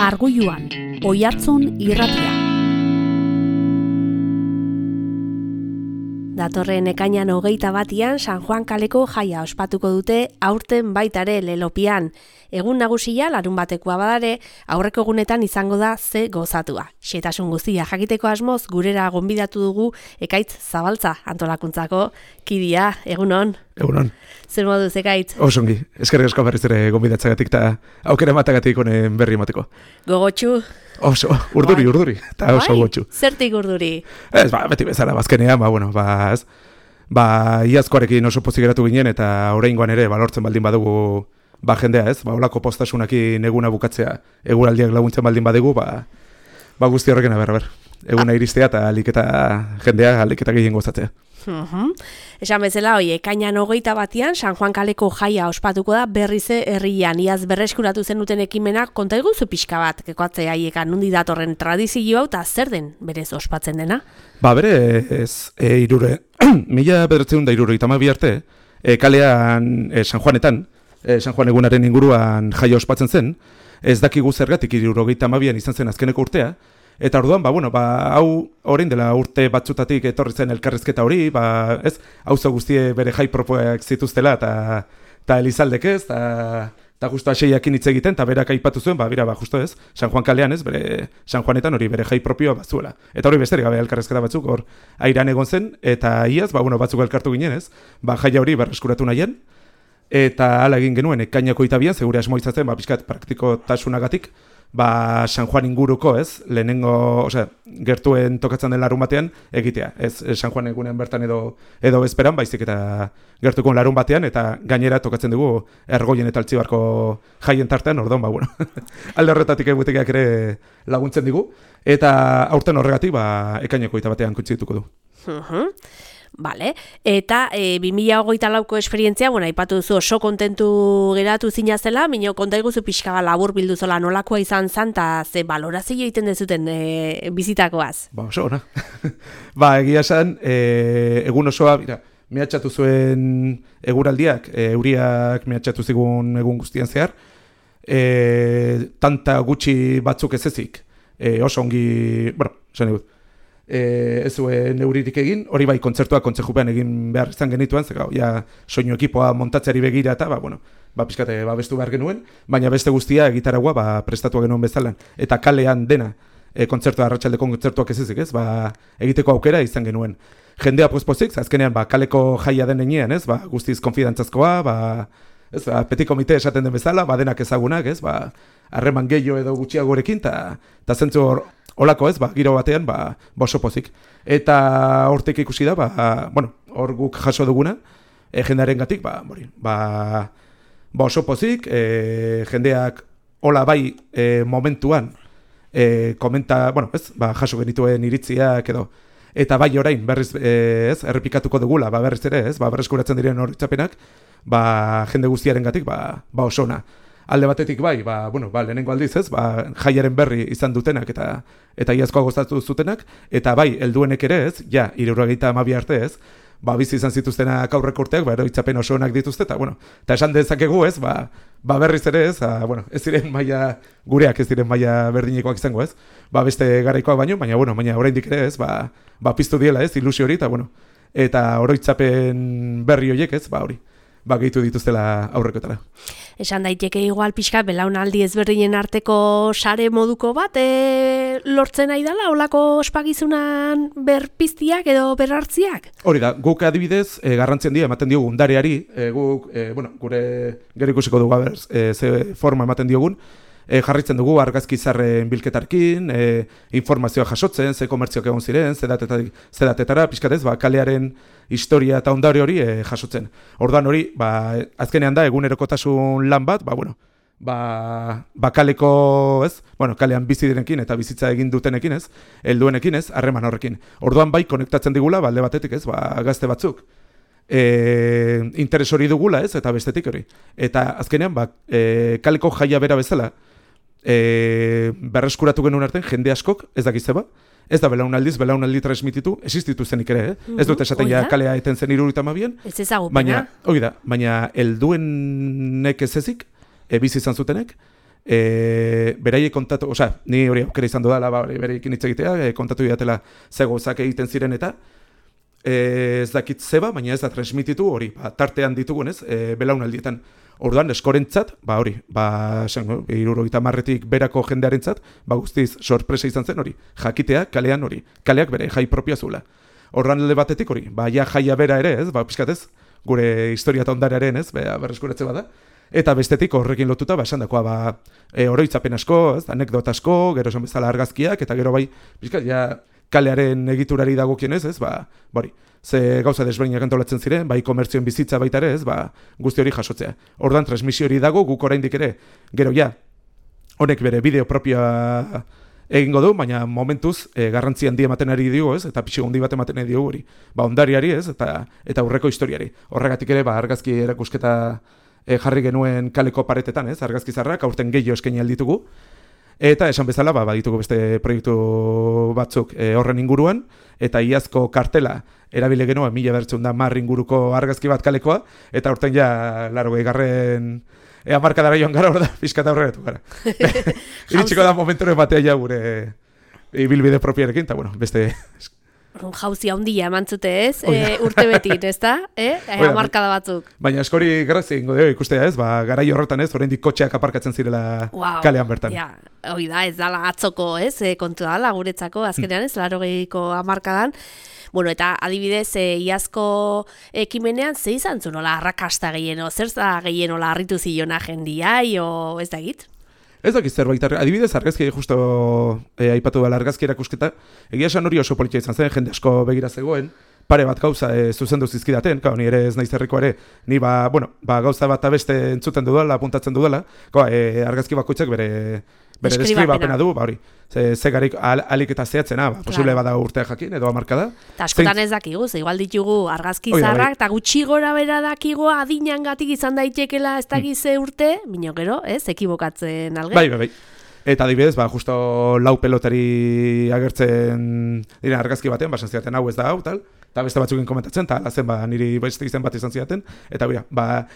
Arguiluan, Oihartzun irratia. Datorren ekainan 21 San Juan kaleko jaia ospatuko dute aurten baitare Lelopian. Egun nagusia larunbatekoa badare, aurreko egunetan izango da ze gozatua. Xehetasun guztia jakiteko asmoz gurera gonbidatu dugu Ekaitz Zabaltza antolakuntzako kidea. Egunon. Egunon. Zer moduz, Ekaitz? Osongi, eskerrik asko berriz ere gonbidatzagatik eta aukera ematagatik honen berri emateko. Gogotsu? Oso, urduri, eta oso gotxu. Zertik urduri? Ez, beti bezala, bazkenean, iazkoarekin oso pozik geratu ginen, eta oraingoan ere, lortzen baldin badugu, jendea, ez? Olako postasunakin eguna bukatzea, eguraldiak laguntzen baldin badugu, guzti horrekin aber. Eguna iristea eta jendea aliketa gehien gozatzea. Esan bezala, ekainan 21 San Juan kaleko jaia ospatuko da berrize herrian. Iaz berreskuratu zenuten ekimenak konta iguzu pixka bat, kekoatzea haiekan nundi datorren tradizio hau eta zer den berez ospatzen dena? Berez, 1972 arte, kalean San Juanetan, San Juan egunaren inguruan jaia ospatzen zen, ez dakigu zergatik 1972an izan zen azkeneko urtea, eta orduan, hau orain dela urte batzutatik etorri zen elkarrizketa hori, auzo guztie bere jai propoak zituztela, eta Elizaldek ez, eta justu aseiakin hitz egiten, eta berak aipatu zuen, justu ez, San Juan kalean ez, bere San Juanetan hori bere jai propioa bazuela. Eta hori besterik gabe elkarrizketa batzuk hor airan egon zen, eta iaz, batzuk elkartu ginen ez, jaia hori berreskuratu nahien, eta hala egin genuen ekainako 22an, segure asmo izatzen, pixkat praktikotasunagatik, San Juan inguruko, ez, lehenengo, gertuen tokatzen den larun batean egitea, ez San Juan egunean bertan edo bezperan, baizik eta gertuko larun batean, eta gainera tokatzen dugu Ergoien eta Altzibarko jaien tartean, orduan, alde horretatik egutekiak ere laguntzen digu, eta aurten horregatik, ekaineko 21an kutsituko du. Vale. Eta 2024ko esperientzia, aipatu duzu oso kontentu geratu zinazela, minio konta iguzu pixka labur bildu zola nolakoa izan zan, eta ze balorazio egiten dezuten bizitakoaz? Oso, ona. Egia esan, egun osoa, mehatxatu zuen eguraldiak, euriak mehatxatu zigun egun guztian zehar, tanta gutxi batzuk ez ezik, oso ongi, esan egut, ez zuen euririk egin, hori kontzertuak kontzejupean egin behar izan genituen, soinu ekipoa montatzeari begira eta, pixkate, bestu behar genuen, baina beste guztia gitaragua prestatu genuen bezalan, eta kalean dena kontzertua, arratsaldeko kontzertuak ez ezik, ez, egiteko aukera izan genuen. Jendea pozpozik, azkenean, kaleko jaia den enean, ez, guztiz konfidantzazkoa, petit komite esaten den bezala, denak ezagunak, ez, harreman gehiago edo gutxiagorekin, eta zentzu olako ez, giro batean, oso pozik. Eta hortik ikusi da, hor guk jaso duguna, jendearen gatik, oso pozik, jendeak hola momentuan, komenta, jaso genituen iritziak edo, eta orain, berriz, errepikatuko dugula, berriz ere, berreskuratzen diren horitzapenak, jende guztiaren gatik, oso ona. Alde batetik lehenengo aldiz ez, jaiaren berri izan dutenak eta iazkoa gozatu zutenak, eta helduenek ere ez, 72 arte ez, bizi izan zituztenak aurreko urteak, itzapen oso onak dituzte, eta esan dezakegu ez, berriz ere ez, ez diren maila, gureak ez diren maila berdinekoak izango ez, beste garaikoak baina oraindik ere ez, piztu diela ez, ilusio hori, eta oroitzapen berri horiek ez, hori. Gehitu dituztela aurrekotara. Esan daiteke igual pixka belaunaldi ezberdinen arteko sare moduko bat lortzen nahi dela, olako ospakizunan berpiztiak edo berhartziak? Hori da, guk adibidez garrantzien dira ematen diogun ondareari, guk, gure gero ikusiko dugu ze forma ematen diogun, jarritzen dugu argazki zarren bilketarkin, informazioa jasotzen, ze komertzioak egon ziren, ze datetara, pixkatez, kalearen historia eta ondare hori jasotzen. Orduan hori, azkenean da, egunerokotasun lan bat, kaleko, ez? Kalean bizi direnekin eta bizitza egin dutenekin, ez? Helduenekin, ez? Harreman horrekin. Orduan konektatzen digula, alde batetik, ez? Gazte batzuk. Interes hori dugula, ez? Eta bestetik hori. Eta azkenean, kaleko jaia bera bezala, berreskuratu genuen artean, jende askok, ez dakiz zeba, ez da belaunaldi transmititu, existitu zenik ere, ez dut esaten kalea eten zen 72an, ez ezagupena, baina helduenek ez ezik, bizi izan zutenek, beraiek kontatu, ni hori aukera izan dudala, beraiekin hitz egitea, kontatu didatela ze gauzak egiten ziren eta ez dakit zeba, baina ez da transmititu hori, tartean ditugunez, belaunaldietan. Orduan, eskorentzat, hori, 70 berako jendearentzat, guztiz sorpresa izan zen hori, jakitea kalean hori, kaleak bere jai propioa zuela. Orduan alde batetik hori, jaia bera ere, ez, pixkatez, gure historia eta ondarearen, ez, berreskuratze bada. Eta bestetik horrekin lotuta, esan dakoa, oroitzapen asko, ez, anekdota asko, gero esan bezala argazkiak, eta gero pixkat, kalearen egiturari dagokienez, ez, hori, ze gauza desberdinak antolatzen ziren, komertzioen bizitza baita ere, ez, guzti hori jasotzea. Orduan, transmisio hori dago, guk oraindik ere, gero honek bere bideo propioa egingo du, baina momentuz garrantzi handi ematen ari dugu, ez, eta pixi handi bat ematen ari dugu hori. Ondariari, ez, eta aurreko historiari. Horregatik ere, argazki erakusketa jarri genuen kaleko paretetan, ez, argazki zarrak, aurten gehiago eskaini alditugu. Eta esan bezala, baditugu beste proiektu batzuk horren inguruan, eta iazko kartela erabile genuen 1910 inguruko argazki bat kalekoa, eta aurten 80. Hamarkadara joan gara, hor da, pixkata horretu gara. Iritsiko da momenturen batea gure ibilbide propiarekin, eta beste... Jauzi handia emantzute ez, urte betin, ez da? Hamarkada batzuk. Baina eskori grazia ingo dugu ikustea ez, garai horretan ez, oraindik kotxeak aparkatzen zirela kalean bertan. Hoi da, ez dala atzoko ez, kontu da, guretzako, azkenean ez, 80ko hamarkadan. Bueno, eta adibidez, iazko ekimenean, ze izan zu nola arrakasta gehieno, zer da gehieno harritu zilona jendiai, o ez da egit? Ez dakit zerbait, adibidez argazki justo aipatu dela argazki erakusketa, egia esan hori oso politia izan zen, jende asko begira zegoen, pare bat gauza zuzendu zizkidaten, ni ere ez naiz herriko ere, ni gauza bat beste entzuten dudala, apuntatzen dudala, argazki bakoitzak bere deskribapena du, hori, zegarik alik eta zehatzena, posible bada urtea jakin, edo hamarkada. Eta askotan ez dakigu, igual ditugu argazki zarrak, eta gutxi gora bera dakigu adinangatik izan daitekela ez dakize urte, bino gero, ekibokatzen alge. Bai. Eta adibidez, justo lau pelotari agertzen dira argazki batean, basan zidaten hau ez da hau, tal, eta beste batzukin komentatzen, eta alazen niri beste izen bat izan zidaten, eta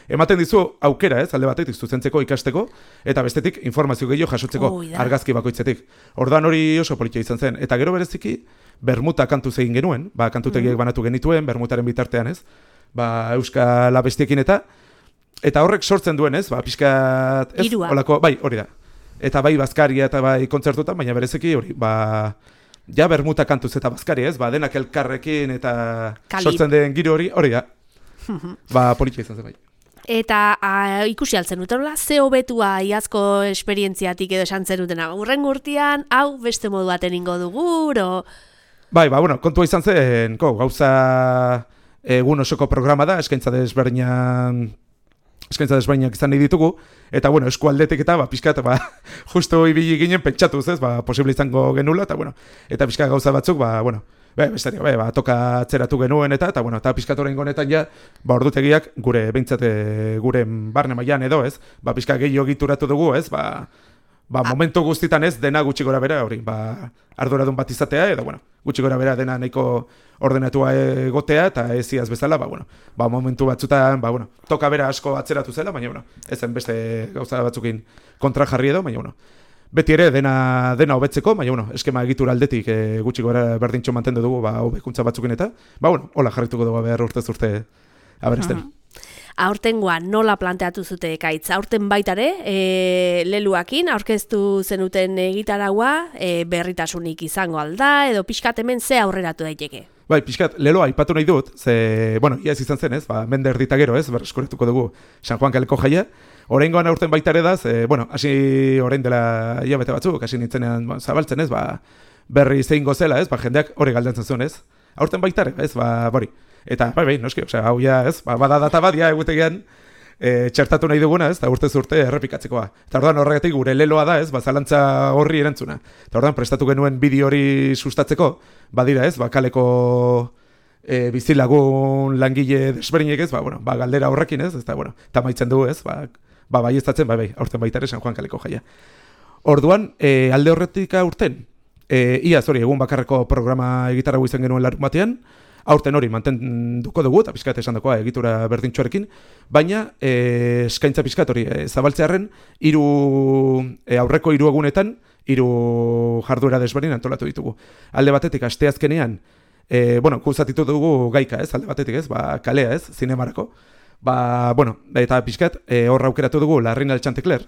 ematen dizu aukera ez, alde batetik zuzentzeko, ikasteko, eta bestetik informazio gehiago jasotzeko argazki bakoitzetik. Orduan hori oso politia izan zen, eta gero bereziki, bermuta kantuz egin genuen, kantutegiek banatu genituen, bermutaren bitartean ez, euskal abestiekin eta horrek sortzen duen ez, pixkat ez, olako, hori da. Eta bazkaria eta kontzertutan, baina bereziki hori, bermuta kantuz eta bazkaria ez, denak elkarrekin eta sortzen den giro hori da. Politia izan zen bai. Eta ikusi altzen duten, ze hobetua iazko esperientziatik edo esan zen dutena, urrengo urtean, hau beste modu baten ingo dugu, kontua izan zen, gauza egun osoko programa da, eskaintza desberdinak izan nahi ditugu, eta eskualdetik eta pixkat, justo ibili ginen pentsatuz ez, posible izango genula, eta pixkat gauza batzuk, toka atzeratu genuen eta pixkat horrein honetan ordutegiak gure barne mailan edo ez, pixkat gehiago egituratu dugu ez, momentu guztitan ez, dena gutxi gora bera hori, arduradun bat izatea, edo gutxi gora bera dena nahiko ordenatua egotea, eta ez iaz bezala, momentu batzutan, toka bera asko atzeratu zela, baina, ezen beste gauza batzukin kontra jarri edo, baina, beti ere dena hobetzeko, baina, eskema egitura aldetik gutxi gora berdintxo mantendu dugu, hobekuntza batzukin eta, hola jarrituko dugu behar urtez urte aberesten. Aurtengoan nola planteatu zute ekaitz? Aurten baitare, leluakin, aurkeztu zenuten gitaragua, berritasunik izango alda, edo pixkat hemen ze aurreratu daiteke? Pixkat, leloa aipatu nahi dut, iaz izan zen ez, mende erdita gero ez, berreskuretuko dugu San Juan kaleko jaia. Oraingoan aurten baitare da, hasi orain dela hilabete batzuk, hasi nintzenean zabaltzen ez, berri zein gozela ez, jendeak hori galdentzen zuen ez. Aurten baitare, ez, bori. Eta, noski, hau ez, bada data bat, egutegian txertatu nahi duguna, ez, eta urtez urte errepikatzekoa. Eta orduan horregatik gure leloa da, ez, zalantza horri erantzuna. Eta orduan prestatu genuen bideo hori sustatzeko, badira, ez, kaleko bizilagun langile desberdinek, ez, galdera horrekin, ez, eta, eta maitzen du, ez, baiestatzen, aurten baita ere San Juan kaleko jaia. Orduan, alde horretik aurten, iaz hori, egun bakarreko programa gitarra izan genuen larun batean, aurten hori mantenduko dugu, eta pixkat esan dagoa egitura berdintxoarekin, baina eskaintza pixkat hori zabaltzearen aurreko 3 egunetan 3 jarduera desberdin antolatu ditugu. Alde batetik, asteazkenean, kuzatitu dugu gaika, ez, alde batetik, ez, kalea, ez, zinemarako. Eta pixkat, horra aukeratu dugu Larrin Altxantekler,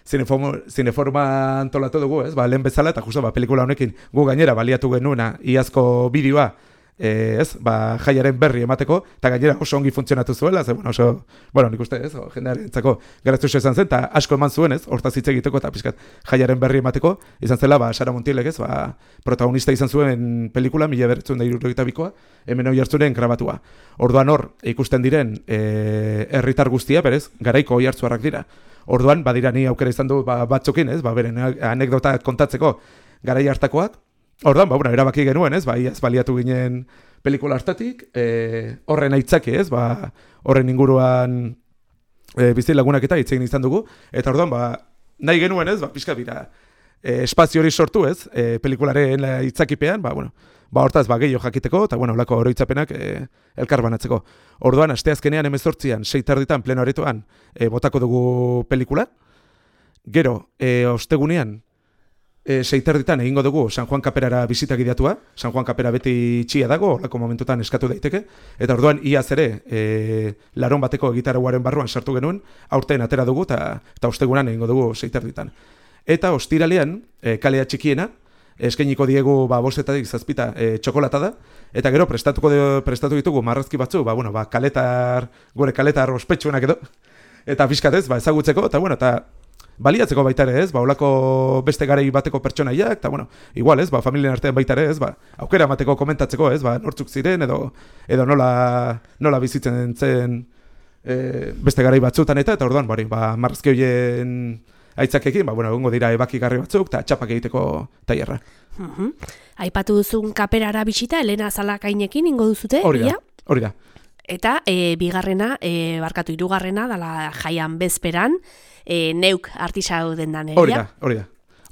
zineforma antolatu dugu, ez, lehen bezala, eta justo, pelikula honekin gu gainera baliatu genuena iazko bideoa, jaiaren berri emateko, eta gainera oso ongi funtzionatu zuela, nik uste, ez, jendearen entzako garaztuxo izan zen, eta asko eman zuen, ez, hortaz hitz egiteko, eta pixkat jaiaren berri emateko, izan zela, Sara Montielek, ez, protagonista izan zuen pelikula, 1972koa, hemen hoi hartzuren grabatua. Orduan hor, ikusten diren herritar guztia, berez, garaiko hoi hartzuarrak dira. Orduan, badira ni aukera izan du batzukin, ez, beren anekdota kontatzeko garai hartakoak. Orduan, erabaki genuen, ez, iaz baliatu ginen pelikula hartatik, horren aitzaki, ez, horren inguruan bizilagunak eta hitz egin izan dugu, eta orduan, nahi genuen, ez, pixka dira, espazio hori sortu, ez, pelikularen aitzakipean, hortaz, gehiago jakiteko, eta, lako oroitzapenak elkar banatzeko. Orduan, asteazkenean 18an, 6:00 pleno aretoan, botako dugu pelikula, gero, ostegunean, 6:00 egingo dugu San Juan Kaperara bisita gidatua. San Juan Kapera beti txia dago, horreko momentutan eskatu daiteke. Eta orduan iaz ere larun bateko gitarauaren barruan sartu genuen, aurten atera dugu eta ostegunan egingo dugu 6:00. Eta ostiralean, kalea txikiena, eskainiko diegu 5:00 7:00 txokolata da. Eta gero prestatu ditugu marrazki batzu, gure kaletar ospetsuenak edo. Eta pixkatez, ezagutzeko, eta baliatzeko baita ere, ez, olako beste garai bateko pertsonaiak, eta, igual, ez, familien artean baita ere, ez, aukera emateko komentatzeko, ez, nortzuk ziren, edo nola bizitzen zen beste garai batzutan eta orduan, marrazki horien aitzakekin, egongo dira ebakigarri batzuk, eta txapak egiteko tailerra. Aipatu duzun Kaperara bisita, Elena Zalakainekin ingo duzute? Hori da. Eta hirugarrena, dala jaian bezperan, neuk artisau dendan egia? Hori da.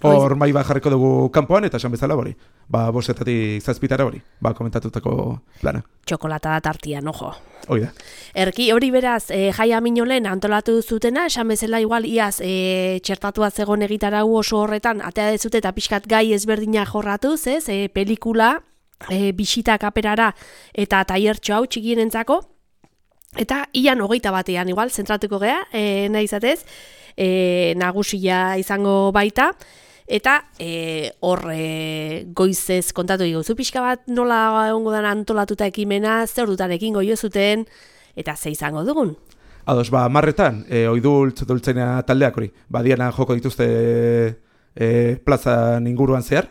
Hor mai jarriko dugu kanpoan, eta esan bezala hori. 5:00 7:00 hori, komentatutako plana. Txokolata da tartian, ojo. Hori da. Erki, hori beraz, jaia minolen antolatu zutena, esan bezala igual iaz txertatua zegoen egitarau oso horretan, atea dezute eta pixkat gai ezberdina jorratuz, ez? Pelikula, bisita Kaperara eta taiertxo hau txikienentzako. Eta ian 21ean igual, zentratuko gea, nahi izatez, nagusia izango baita, eta hor goizez kontatu diguzu pixka bat nola egongo dan antolatuta ekimena, zer dutan ekingo jo zuten, eta ze izango dugun? Ados, 10:00 oidultz dultzena taldeak hori, diana joko dituzte plazan inguruan zehar,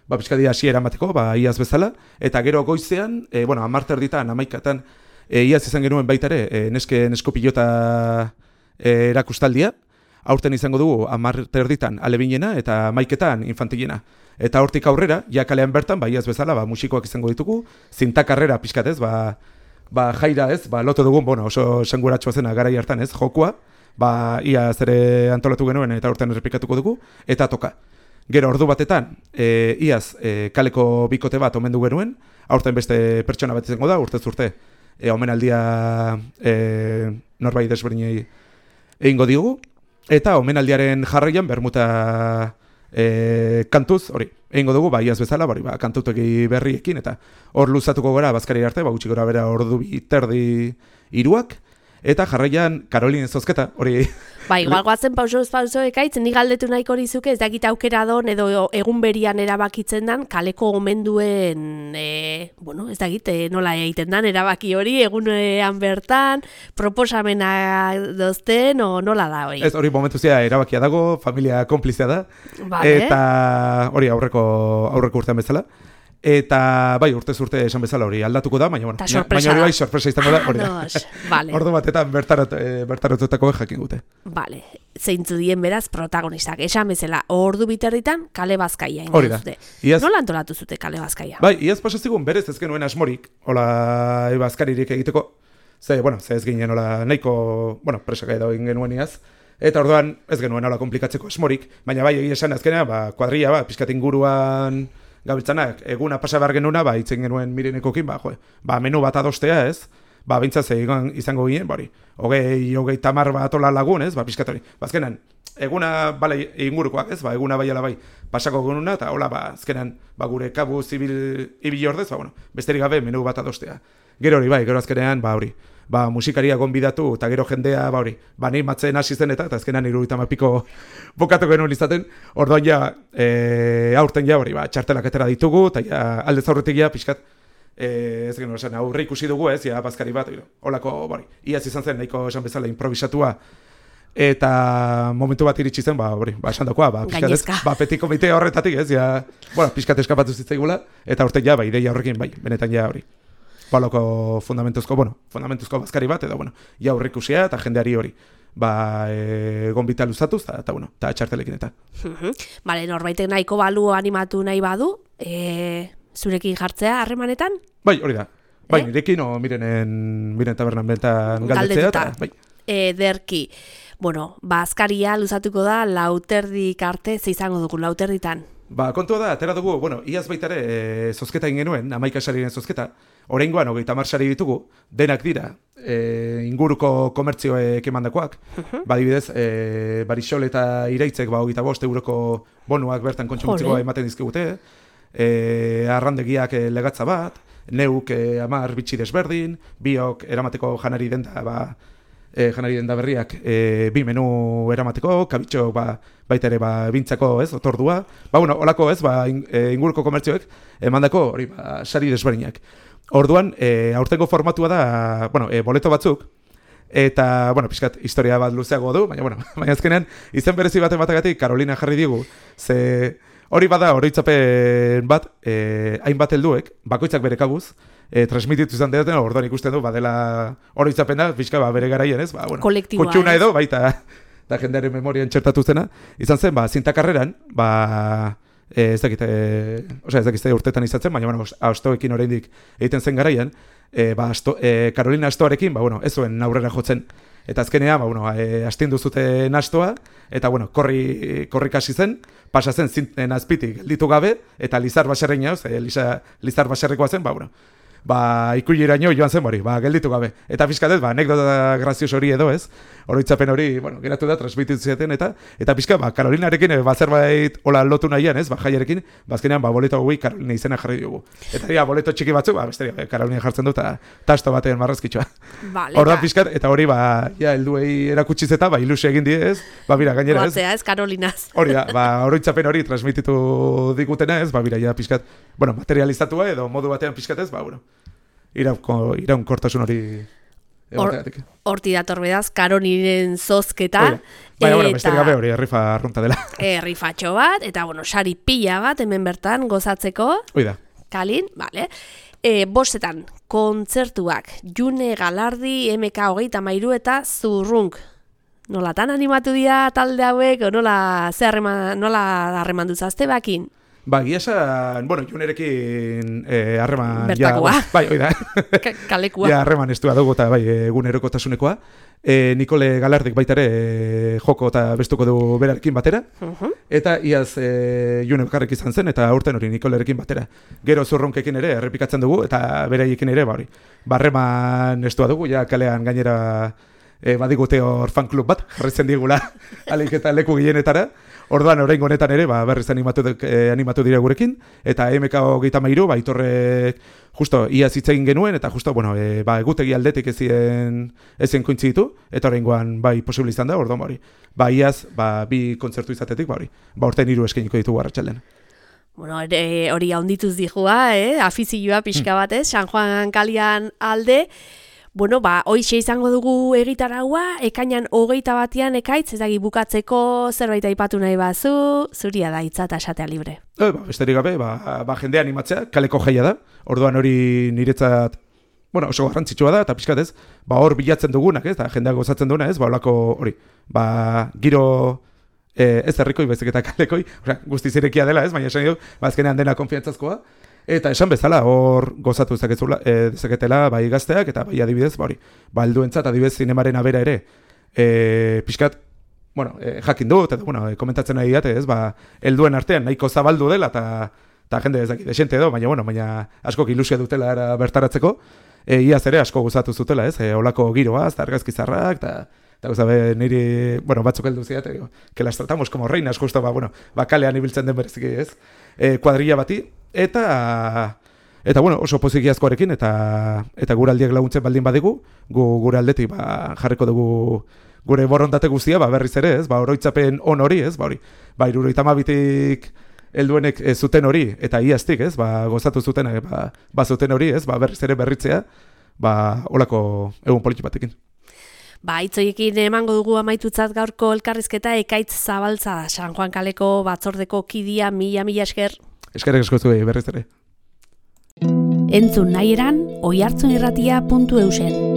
pixka dira hasiera emateko, iaz bezala, eta gero goizean, 10:30 11:00 iaz izan genuen baita ere, nesko pilota erakustaldia, aurten izango dugu 10:30 alebinena eta 11:00 infantilena. Eta hortik aurrera, ja kalean bertan, iaz bezala, musikoak izango ditugu, zintakarrera pixkatez, jaira ez, lotu dugun, oso esanguratsua zena garai hartan ez, jokua, iaz ere antolatu genuen eta aurten errepikatuko dugu, eta toka. Gero ordu batetan, iaz kaleko bikote bat omendu genuen, aurten beste pertsona bat izango da, urtez urte, omenaldia norbait desberdinei egingo diogu, eta omenaldiaren jarraian bermuta kantuz, hori, egingo dugu, iaz bezala, kantutegi berriekin, eta hor luzatuko gara bazkari arte, gutxi gora bera ordu 2:30 3:00, eta jarraian Karolin Zozketa, hori... Igual goazen pauso ekaitz, nik galdetu nahiko horizuke, ez dakit aukera don, edo egun berian erabakitzen dan, kaleko omenduen, ez dakit, nola egiten dan, erabaki hori, egunean bertan, proposamena dozten, o nola da hori? Ez hori momentuzia erabakia dago, familia konplizia da, eta hori aurreko urtean bezala. Eta urtez urte esan bezala hori aldatuko da, baina hori sorpresa izango da, hori da. Ordu batetan bertaratutako jakin gute. Bale, zeintzu dien beraz protagonistak, esan bezala, ordu 2:30 kale Bazkaia. Hori da. Nola antolatu zute kale Bazkaia? Iaz pasazigun berez ez genuen asmorik, hola Bazkaririk egiteko, ze ez ginen hola nahiko, presaka edo egin genuen iaz, eta orduan ez genuen hola komplikatzeko asmorik, baina egia esan azkenean, kuadrilla, pizkat inguruan gabiltzanak, eguna pasa behar genuna, ba, itzen genuen Mirenekokin, ba, menu bat adostea, ez? Ba, bintzaz izango ginen, bari, hogei tamar bat ola lagun, ez? Ba, pixkat hori. Bazkenan, eguna, bale, ingurukoak, ez? Ba, eguna bai ala bai, pasako genuna, eta hola, ba, azkenan, ba, gure kabu ibil ordez, ba, bueno, besterik gabe menu bat adostea. Gero hori, bai, gero azkenean, ba, hori, ba, musikaria gonbidatu, eta gero jendea, ba, hori, ba, nahi matzen hasi zen eta azkenan 70 piko bokatu genuen izaten, orduan ja, aurten ja, hori, ba, txartelak etera ditugu, eta ja, aldez aurretik ja, pixkat, ez genuen esan, aurre ikusi dugu, ez, ja, bazkari bat, holako, bari, iaz izan zen, nahiko esan bezala improvisatua, eta momentu bat iritsi zen, ba, hori, ba, esan dakoa, ba, pixkat ez, ba, petit komite horretatik, ez, ja, bueno, pixkat eskapatu zitzaigula, eta aurten ja, ba, ideia horrekin, bai, benetan ja, hori, baloko fundamentuzko bazkari bat, edo, bueno, ja aurrikusia eta jendeari hori, ba, gonbita luzatuz, eta, bueno, eta txartelekin eta. Bale, norbaitek nahiko balu animatu nahi badu, zurekin jartzea harremanetan? Bai, hori da. Bai, nirekin, miren tabernan bentan galdetzea, eta, bai. Ederki. Bueno, bazkaria luzatuko da lauterdik arte, ze izango dugu lauterditan? Ba, kontua da, atera dugu, bueno, iaz baitare zozketa ingenuen, 11 sariren zozketa, oraingoan 30 sari ditugu, denak dira, inguruko komertzioek emandakoak, badibidez, Barisol eta Iraitzek, ba, 25 euroko bonuak bertan kontsumitzikoa ematen dizkigute, arrandegiak legatza bat, neuk 10 bitxi desberdin, biok eramateko janari denda, ba, janari denda berriak 2 menu eramateko, kabitxo baita ere bintzako, ez, otordua. Ba, bueno, holako, ez, inguruko komertzioek emandako hori sari desberdinak. Orduan, aurtengo formatua da, bueno, boleto batzuk, eta, bueno, pixkat, historia bat luzeago du, baina azkenean, izen berezi bat ematagatik Carolina jarri digu, ze hori bada oroitzapen bat, hainbat helduek, bakoitzak bere kabuz, transmititu izan dedaten, orduan ikusten du, badela oroitzapena, pixka, bere garaien, ez? Ba, bueno, kutxuna edo, baita, da jendearen memorian txertatu zena, izan zen, zintakarreran, ez dakite urtetan izatzen, baina, bueno, astoekin oraindik egiten zen garaian, Carolina astoarekin, ez zuen aurrera jotzen, eta azkenean, astindu zuten astoa, eta, korrik hasi zen, pasa zen zinten azpitik gelditu gabe, eta Lizar Baserreina, Lizar Baserrekoa zen, ikuileraino joan zen hori, gelditu gabe. Eta pixkatez, anekdota grazioso hori edo, ez? Oroitzapen hori, geratu da, transmititu zieten, eta pixka, Carolinarekin, zerbait hola lotu nahian, ez? Jaiarekin, azkenean, boleto gui Carolina izena jarri dugu. Eta boleto txiki batzu, besterik, Carolina jartzen du, eta tasto batean marrazkitxoa. Horda pixkat, eta hori, helduei erakutsiz eta, ilusio egin die, ez? Bira, gainera, ez? Batzea, ez, Carolinaz. Hori da, oroitzapen hori transmititu digutena, ez? Bira, ja, pixkat, materializatua edo modu batean pixkat, ez? Iraunkortasun hori egoteatik. Horti dator bedaz, Karoniren zozketa. Besterik gabe hori, rifa arrunta dela. Rifatxo bat, eta, sari pila bat, hemen bertan, gozatzeko. Oida. Kalin, bale. Bostetan, kontzertuak, June Galardi, MK33 eta Zurrunk. Nolatan animatu dira talde hauek, nola harreman duzazte bakin? Giasan, Junerekin harreman... Bertakoa. Oida. Kalekua. Harreman estua dugu eta egunerokotasunekoa. Nikole Galardik baitare joko eta bestuko du berarekin batera. Eta iaz June bakarrik izan zen eta aurten hori Nikolerekin batera. Gero Zurronkekin ere errepikatzen dugu eta beraiekin ere harreman estua dugu. Ja kalean gainera badigute hor fanklub bat, jarritzen digula alik eta leku gilenetara. Orduan, oraingo honetan ere, berriz animatu dira gurekin, eta MK33, Aitorrek justo iaz hitz egin genuen, eta justo, egutegi aldetik ezien kointzitu, eta oraingoan posible izan da, orduan, iaz, bi kontzertu izatetik, orten 3 eskainiko ditugu arratsaldean. Hori haundituz dijua, afizioa pixka batez, San Juan kalian alde. Hoixe izango dugu egitaraua, ekainan 21 ekaitz, ez dagi bukatzeko zerbait aipatu nahi bazu, zuria da hitza eta esatea libre. Besterik gabe, jendea animatzea, kaleko jaia da, orduan hori niretzat, oso garrantzitsua da, eta pixkat ez, hor bilatzen dugunak, ez, eta jendeak gozatzen duena, ez, olako hori, giro... ez herrikoi, bezik eta kalekoi, guztiz irekia dela, ez, baina esan dugu, azkenean dena konfiantzazkoa, eta esan bezala, hor gozatu dezaketela, gazteak, eta adibidez, helduentzat, adibidez, zinemaren abera ere, pixkat, jakin dut, eta, komentatzen nahi date, ez, helduen artean nahiko zabaldu dela, eta eta jende ez dakit, desente edo, baina askok ilusia dutela era bertaratzeko, iaz ere asko gozatu zutela, ez, olako giroaz, eta argazkizarrak, eta niri, batzuk heldu ziat, que las tratamos como reinas, justo, kalean ibiltzen den bereziki, ez, kuadrilla bati, eta oso pozikiazkoarekin, eta gure aldiak laguntzen baldin badigu, gure aldetik jarriko dugu gure borondate guztia, berriz ere, ez, oroitzapen on hori, ez, hori, 72tik helduenek zuten hori, eta iaztik, ez, gozatu zuten, zuten hori, ez, berriz ere berritzea, olako egun politxi batekin. Itzoiekin emango dugu amaitutzat gaurko elkarrizketa Ekaitz Zabaltza, San Juan kaleko batzordeko kidea, mila esker. Eskerrik asko zuei berriz ere. Entzun nahi eran, oihartzunirratia.eusen.